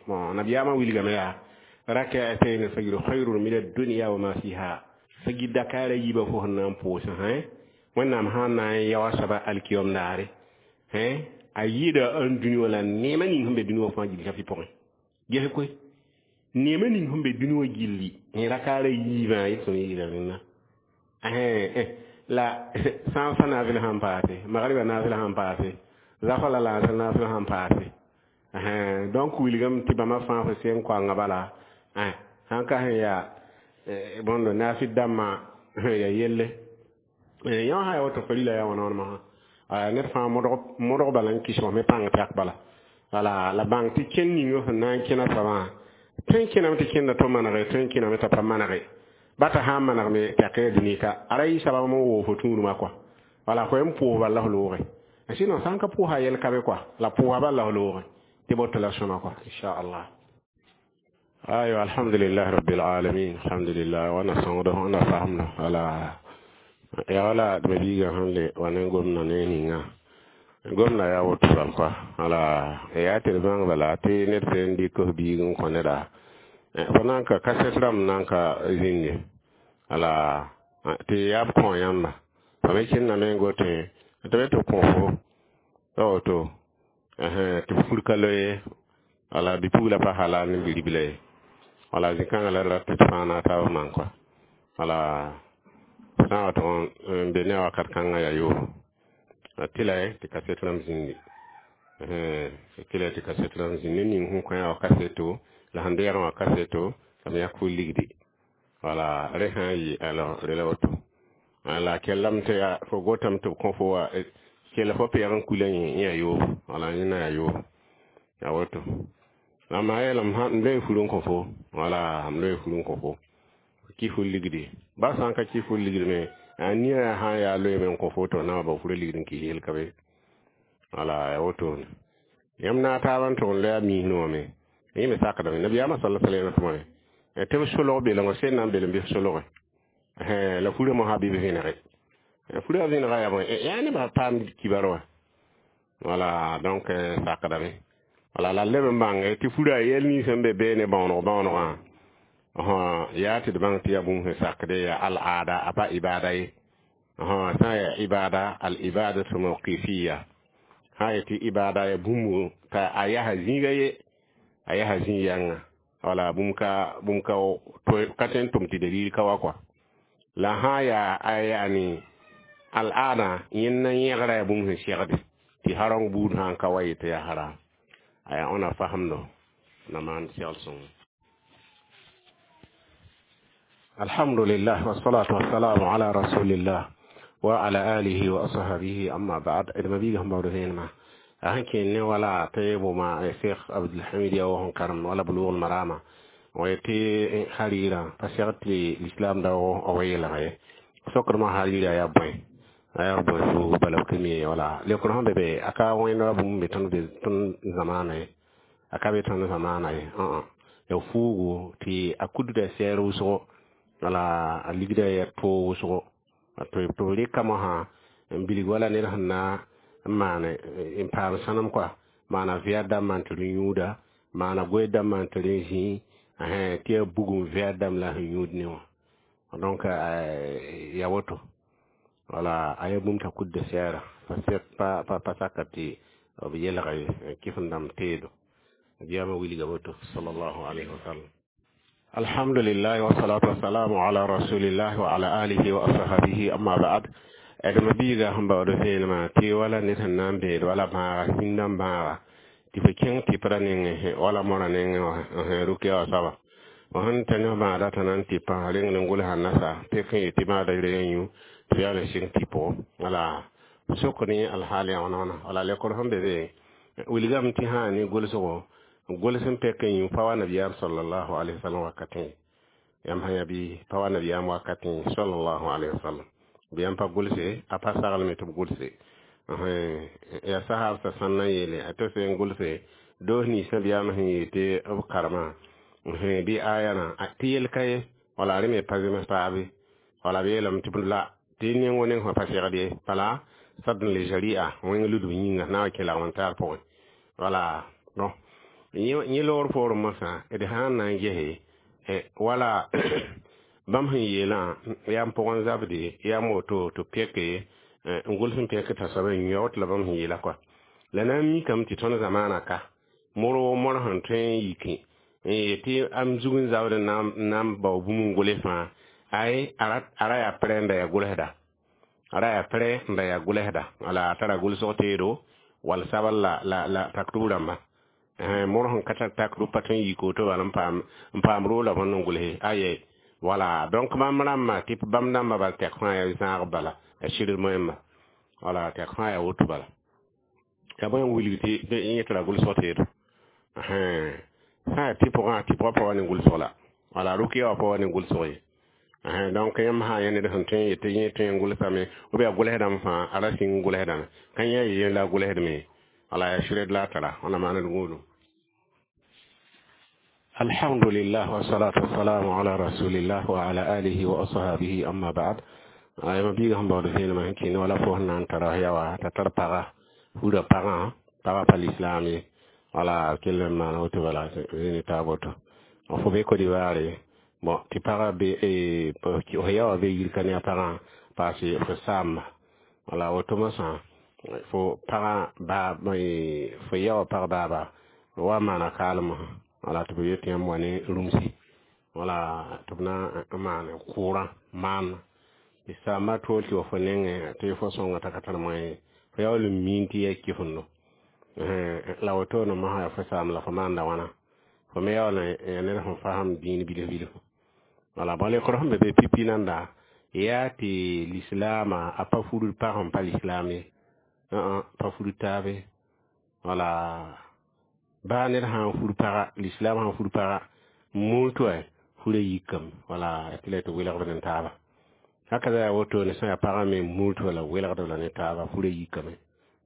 Bon, nabiyaamã wilgame yaa rak'atayn fajr khayrun min ad-dunya wa ma fiha. Fagir dakara yiibã fo sẽn na n pʋʋsẽ hẽ Wẽnnaam sã n na n yao a soaba alkiyom daare a yɩɩda n dũni wã la neemã ning sẽn be dũni wã fãa gilli fɩ pʋgẽ ges koe neemã ning sẽn be dũni wã gilli rakaara yiibã yelsem yɩɩda rẽnna la sã n fa naafɩl sãn paase magribã naafɩl sãn paase zafa la laasr naafɩl sãn paase. Donc wilgame tɩ bãmba fãa fo sẽn koanga bala sãn ka sẽn yaa bõndo naafɩd dãmbã ya yelle yã sã ya woto farila yaa wãna wãnema sã ned fãa modg bala n kɩs me pãng tɛk bala wala la bãng tɩ kẽnd ning sẽn na n kẽna soabã tõe n kẽname tɩ kẽnda tɩ manege tõe n kẽname t'a pa manege bata sã n manegme tɛk ya dũni ka a ra yɩ sabab n woog fo tũudmã kɔa wala fo n pʋʋs bal la f looge sinon sã n ka pʋʋsa yɛl ka be kɔa la pʋʋsa bal la f looge tɩ boto la sõma kɔa inchallah. Ayo, alhamdulillah rabbil alamin, alhamdulillah wana sõngdo wãna faamdo wala ya wala d mabiigã sẽn le wa ne gomdã ne ninga gomda yaa woto rãmb kɔa wala yaa tɩ d bãng bala tɩ ned tõe n dɩk f biig n kõ neda fo na n ka kasɛt rãmb na n ka zĩnde wala tɩ yaa b kõ yãmba fa me kẽndame n gote tɩ be tɩ kõ fo t'a woto tɩ b fur ka loe wala bɩ-pugla pa halal ne bi-ribla ye wala zĩ-kãngã la d rat tɩ d fãa na taab maan kɔa wala sã n wa tʋg n be ne a wakat kãngã yaa yoobo tɩ la tɩ kaset rãmb zĩndi tɩ la tɩ kaset rãmb zĩnd ned ning sẽn kõ yaa kaseto la sẽn deegã wã kaseto la m yãk fo ligdi wala rẽ sã n yɩ alors rela woto la kellame tɩ yaa fo gotame tɩ b kõ fo wa kell fo peeg n kula yẽ yaa yoobo wala yẽna yaa yoobo yaa woto amma yeelame m loe fur n kõ fo wala m loe fur n kõ fo kɩ fo ligdi ba sã n ka kɩ fo ligd me a nia sã n yaa loeeme n kõ fo tɩ na wa ba fura ligd n kɩs yel ka be wala yaa wotone yãmb na a taab n tʋg n loe a miisẽ wã me yẽ me sakdame nabiyaamã sala sallam tɩ bõe tɩ b solg belengɔ sẽn na n belem bɩ f solge la furã mosã bɩ b vẽnege furã vẽnega yaa bõe yaa nebã paam kibar wã wala donc sakdame wala la leb n bãnge tɩ furã yɛl nins sẽn be beene bãooneg bãoonegã yaa tɩ d bãng tɩ yaa bũmb sẽn sakde yaa al-aada a pa ibada ye sã n yaa ibada al ibadatu mawqifiya sã n yetɩ ibada ya bũmb t'a a yasa zĩiga ye a yasa zĩ yãnga wala bũmb ka bũmb ka ka tõe n tʋm tɩ dalil ka wa kɔa la sã n yaa a yaani al-aada yẽnd na yẽgra yaa bũmb sẽn segde tɩ harong buud sã n ka wa yetɩ yaa haram aya ona fahamdo na maan segl sõngo. Alhamdulillah wassalatu wassalamu ala rasulillah wa ala alihi wa ashabihi amma ba'd. D mabiiga sẽn baood vẽenemã a sẽn kẽen ne wala tɩ bʋma Cheikh Abdulhamid ya sẽn karem wala Bulugh Marama tɩ harirã pa segd tɩ l'islam da wa yeelg ye sokdmã harira yaa bõe a yaa bõe fuug bala b ka mi wala leokd sẽn be be a ka wẽnd wa bũmb be tõnd be tõnd zamaana ye a ka be tõnd zamaana ye ya fuugu tɩ a kudda sɛɛr wʋsgo wala a ligda ya toog wʋsgo tɩ b rɩka mosã n bilg wala ned sẽn na n maan n paam sãnem koa maana vɛɛd dãmb maan tɩ rẽ yũuda maana goeed dãmb maan tɩ rẽ zĩi tɩ yaa bugum vɛɛd dãmb la sẽn yũud ne wã donc ya woto wala a yaa bũmb t'a kudda sɛɛra pa pa pa saka tɩ b yelg kɩf n dãmb teedo biyaamã wilga woto sallallahu alayhi wa sallam. Alhamdulillah wassalatu wassalamu ala rasulillah wa ala alihi wa ashabihi amma ba'd. D mabiiga sẽn baood vẽenemã tɩ wala ned sẽn na n beed wala bãaga sĩndã bãaga tɩ fo kẽng tɩ pra nengẽ wala mora nengẽ wã rʋkya wã soaba fo sẽn ta ne bãada t'a na n tɩ pãs reng n gʋlsa nasa pek n yetɩ bãada reng yũ tɩ yaa n sɩng tɩ pʋgẽ wala sok ne alhaal yaa wãna wãna wala lekr sẽn be be wilgame tɩ sã ne gʋlsgo gʋls n pek n yũ pa wa nabiyaam sallallahu alaihi wasallam wakatẽ yãmb sã yaa bɩ pa wa nabiyaam wakatẽ sallallahu alaihi wasallam bɩ yãmb pa gʋlse a pa saglme tɩ b gʋlse yaa sahaab t'a sãn na n yeele a tɩ n gʋlse doos ninsã biyaam sẽn yeel tɩ b karema bɩ ayana tɩ yel ka ye wala rẽ me pa zems paabe wala b yeelame tɩ la tɩ neng neng sã pa segd ye bala sadn le sharia wẽng ludb yĩnga na n kẽ lagm n taar pʋgẽ wala bon yẽ loor poorẽ mosã d sã n na n gese wala bãmb sẽn yeelã yaa n pʋgẽ zabde yaa moto tɩ peke n gʋls n pek t'a soab n yao tɩ la bãmb sẽn yeela kɔa la na n mikame tɩ tõnd zamaana ka mor mor sẽn tõe n yikẽ n yetɩ am zug n zabd n na n bao bũmb n gʋls fãa ay a ra yaa prɛ n da yaa gʋlsda a ra yaa prɛ n da yaa gʋlsda wala a tara gʋlsg teedo wall sabl la la la taktub rãmba mor sẽn ka tar takd pa tõe n yik woto bala n paam n paam roola bõnd n gʋlse aye wala donc bãmb rãmbã tɩ bãmb dãmbã bal tɛk fãa yaa zãag bala a sɩd moẽmba wala tɛk fãa yaa woto bala yaa bõe n wilg tɩ yẽ tɩ ra gʋlsg teedo sã yaa tɩ pʋgã tɩ pʋgã pa wa ne gʋlsg la wala rʋkɩya wã pa wa ne gʋlsg ye donc yãmb sã yã ned sẽn tõe n yetɩ yẽ tõe n gʋlsame ou bien a gʋlsdame fãa a ra sĩng gʋlsdame ka yã yẽ la a gʋlsdme wala yaa sɩrd la a tara wãna maand gũudum. Alhamdulillah wassalatu wassalamu ala rasulillah wa ala alihi wa ashabihi amma ba'd. Ayma biiga sẽn baood vẽenemã sẽn kẽne wala fo sẽn na n tara yawa t'a tar paga fura pagã pagã pa l'islam ye wala kell n maana woto bala zĩni taab woto fo be Côte d'Ivoire bon tɩ pagã be f yawa be yir ka ne a pagã paase fo saamba wala woto mosã fo pagã baa fo yawa pag baaba wa maana kaalem wala tɩ b yet yãmb wa ne rũmsi wala tɩ b na n maan kʋʋrã maan tɩ saamba tool tɩ wa fo nengẽ tɩ fo sõnga t'a ka tar moyen fo yaool n miin tɩ yaa kɩfendo la wotone mosã yaa fo saam la fo maanda wãna fo me yaool n ned sẽn fasem dĩin bilf bilf wala bõe lekr sẽn be be pipi nanda yaa tɩ lislaamã a pa furd pag sẽn pa lislaam ye pa furd taabe wala baa ned sã n fur paga lislaam sã n fur paga muul tɩ wa fura yikame wala tɩ la tɩ welgd ne taaba haka yaa wotone sã yaa pagã me muul tɩ wala welgd la ne taaba fura yikame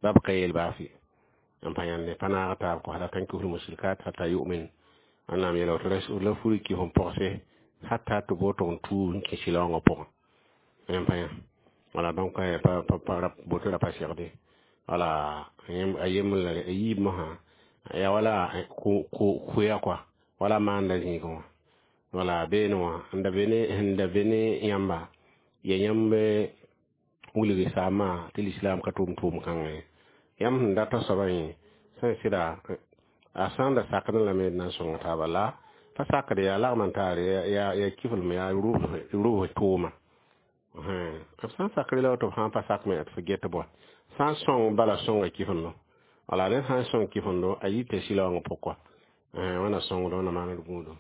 bab ka yeel baa fɩ n pa yãnde pa naag taab kõ la tankihul musrikat hatta yu'min wẽnnaam yeela woto la fur kɩs n pogse hatta tɩ b woto n tuug n kẽ sɩlaoongã pʋgẽ n pa yã wala donc pa pa boto ra pa segde wala a yembr la a yiib mosã ya wala koya kɔa wala maanda zĩigẽ wã wala beene wã n da be ne sẽn da be ne yãmba ya yãmb wilg saamã tɩ l'islam ka tʋʋm tʋʋm kãngã ye yãmb sẽn data soabã yẽ sẽn sɩda a sã n da sakdẽ lame d na n sõng taaba la pa sakd yaa lagm n taar yaa kiflem yaa rʋbs tʋʋma b sã n sakre la woto b sã n pa sak me tɩ f get bõe sã n sõng bala sõnga kifendo wala ned sã n sõng kifendo a yita sɩlaoongã pʋg kɔa wãna sõngd wãna maand gũudum.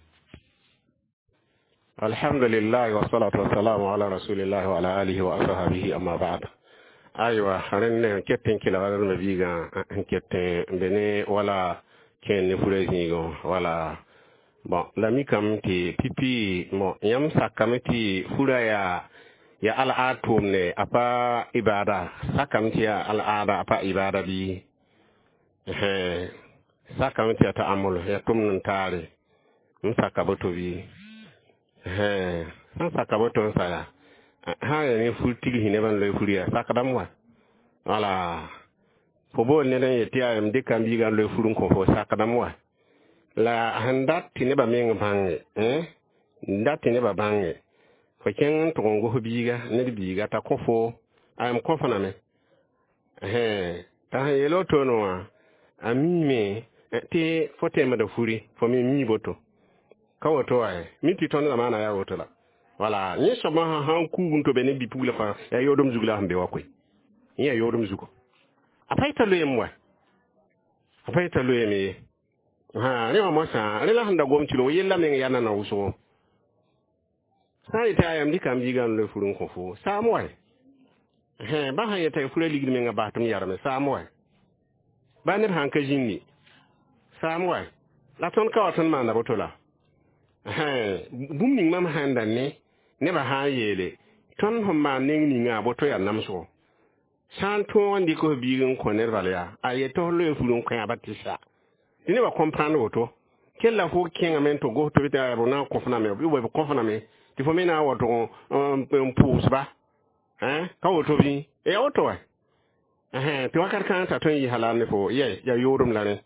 Alhamdulillah wassalatu wassalamu ala rasulillah wa ala alihi wa ashabihi amma ba'd. Aywa rẽnd n ket n kelgd d mabiigã n ket n be ne wala kẽer ne fura zĩigẽ wala bon la mikame tɩ pipi bon yãmb sakame tɩ fura yaa ya al'aad tʋʋmne a pa ibada sakame tɩ yaa al'aada a pa ibada bɩ sakame tɩ yaa ta'amul ya tʋmd n taare n saka boto bɩ sãn saka boto n sa yaa sã n yaa ne fur tigsi nebã n loe fur yaa sakdame wa wala fo bool ned n yet tɩ yaa m dɩka m biigã n loe fur n kõ fo sakdame wa la sẽn dat tɩ nebã meng bãnge n dat tɩ nebã bãnge fo kẽng n tʋg n gos biiga ned biiga t'a kõ fo a m kõ fo name t'a sẽn yeel wotone wã a miime tɩ fo temda furi fo me mii boto ka woto wa mi tɩ tõnd zamaana yaa woto la wala yẽ soab sãn kuug n tobe ne bi-pugla fãa yaa yoodem zug la sẽn be wa koe yẽ yaa yoodem zugo a pa yeta loeem wa a pa yeta loeem ye rẽ wã moasã rẽ la sẽn da gom tɩ yella meng yaa nana wʋsgo sã n yeta yaa m dɩka m biigã n loe fur n kõ fo saam wa ba sã n yeta fura ligd menga bas tɩ m yarme saam wa ba neb sãn ka zĩndi saam wa la tõnd ka wa tõnd maanda boto la bũmb ning mam sãn da ne nebã sã n yeele tõnd sẽn maan neng ninga boto yaa namsgo sã n tõog n dɩk f biig n kõ ned bal yaa a yet tɩ f loe fur n kõ ba tɩ sa tɩ nebã comprendre woto kell la fo kẽngame n tɩ gos tɩ b b na n kõf name b b kõf name tɩ fo me na n wa tʋg n pʋʋsba ka woto bɩ ya woto wa tɩ wakat kãng t'a tõe n yɩ halal ne fo yɛ yaa yoodem la rẽ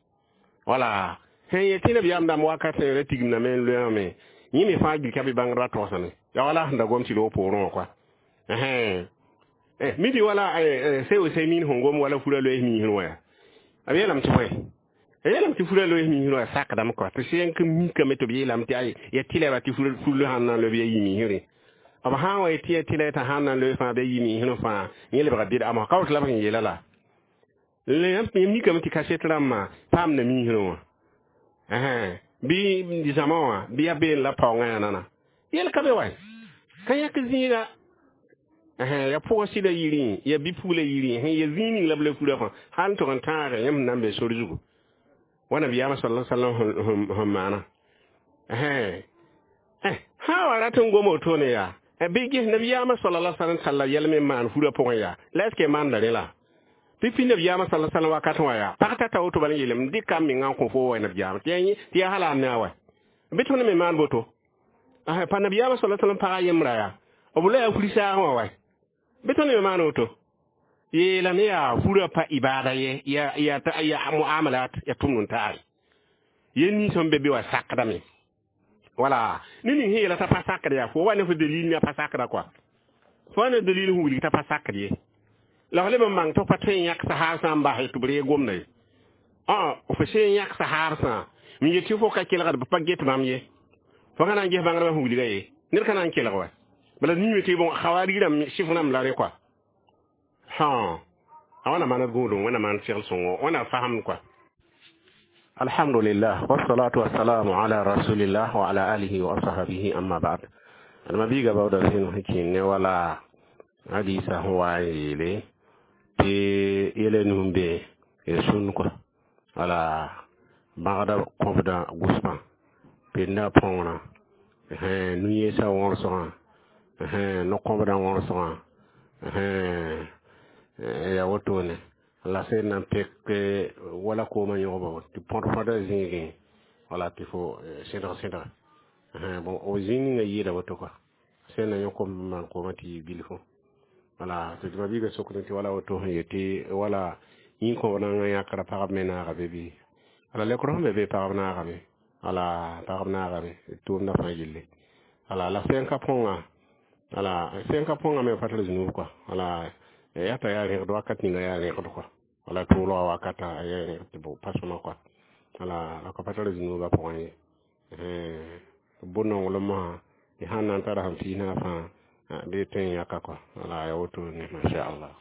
wala sẽn yet tɩ nabiyaam dãmb wakat sẽn ra tigimdame n loeame yẽ me fãa gilka bɩ bãngdbã togsame ya wala sẽn da gom tɩ loog poorẽ wã koa mi tɩ wala se Useymin sẽn gom wala fura loees miisẽ wã yaa b yeelame tɩ bõe a yeelame tɩ fura loees miisẽ wã sakdame koa tɩ sẽn ka mikame tɩ b yeelame tɩ ay ya tɩlɛba tɩ fur sãn na n loe bɩ ya yi miisre b sã n wa tɩ ya tɩlɛ t'a sãn na n loe fãa bɩ ya yi miisr fãa yẽ lebga bɩd'a ka woto la b sẽn yeela la yãmb mikame tɩ kaset rãmbã paamda miisrẽ wã bɩ zãma wã bɩ ya been la paoongã yaa nana yel ka be wa ka yãk zĩiga ya pʋgã sɩda yirẽ ya bi-pugla yirẽ sẽn ya zĩig ning la b la fura fãa hal n tʋg n tãage yãmb sẽn na n be sor zugu wa nabiyaamã sala sallam sẽn maana sã wa rat n gom wotone yaa bɩ ges nabiyaamã sala sallam talla yɛl me n maan furã pʋgẽ yaa la est ce que maanda rẽ la pipi nabiyaamã sala sallam wakat wã yaa pag tata woto bala n yeelame dɩka m menga n kõ fo wa nabiyaamã tɩ yaa halal ne a wa bɩ tõnd me maan boto pa nabiyaamã sala sallam pagã yembra yaa b la yaa furi saagẽ wã wa bɩ tõnd me maan woto yeelame yaa furã pa ibada ye ya ya ya muamalat ya tʋmd n taare yel nins sẽn be be wa sakdame wala ne ning sẽn yeela t'a pa sakd yaa fo wa ne fo dalil ne a pa sakda kɔa fo wa ne dalil sẽn wilg t'a pa sakd ye la f leb n mang tɩ f pa tõe n yãk sahaar sã n bas tɩ b reeg gomda ye fo sẽn yãk sahaar sã n yet tɩ fo ka kelgd b pa get bãmb ye fo ka na n ges bãngdbã sẽn wilga ye ned ka na n kelg wa bala niime tɩ bon hawarig rãmb sɩf rãmb la rẽ kɔa ha a wãna maan d gũudum wẽna maan segl sõngo wẽna fasem kɔa alhamdulillah wassalatu wassalamu ala rasulillah wa ala alihi wa ashabihi amma ba'd adma biiga bawda sẽn sẽn kẽn ne wala hadisa sẽn wa n yeele tɩ yɛla nus be sũn kɔa wala bãgda kõbda gʋsbã penda põorã nu-yɛɛsã wõrsgã no-kõbdã wõrsgã ya wotone la sẽn na n pek wala koomã yõgba tɩ põd-põda zĩigẽ wala tɩ fo sẽdg sẽdga bon o zĩig ninga yɩɩda woto kɔa sẽn na yõ kom n maan koomã tɩ yɩ bilfu wala tɩ mabiiga sokd tɩ wala woto sẽn yetɩ wala yĩn-kõb-rãngã yãkra pagb me naagame bɩ wala lekr sẽn be be pagb naagame wala pagb naagame tʋʋmdã fãa yelle wala la sẽn ka põnga wala sẽn ka põnga me pa tar zũnub kɔa wala yaa t'a yaa rẽgd wakat ninga yaa rẽgd kɔa wala tʋʋlga wakata yaa rẽgd tɩ pa sõma kɔa wala la ka pa tar zũnubã pʋgẽ ye bʋ-nonglem mosã y sãn na n tara sẽn piis naag fãa bɩ tõe n yãka kɔa wala yaa woto ne masha Allah.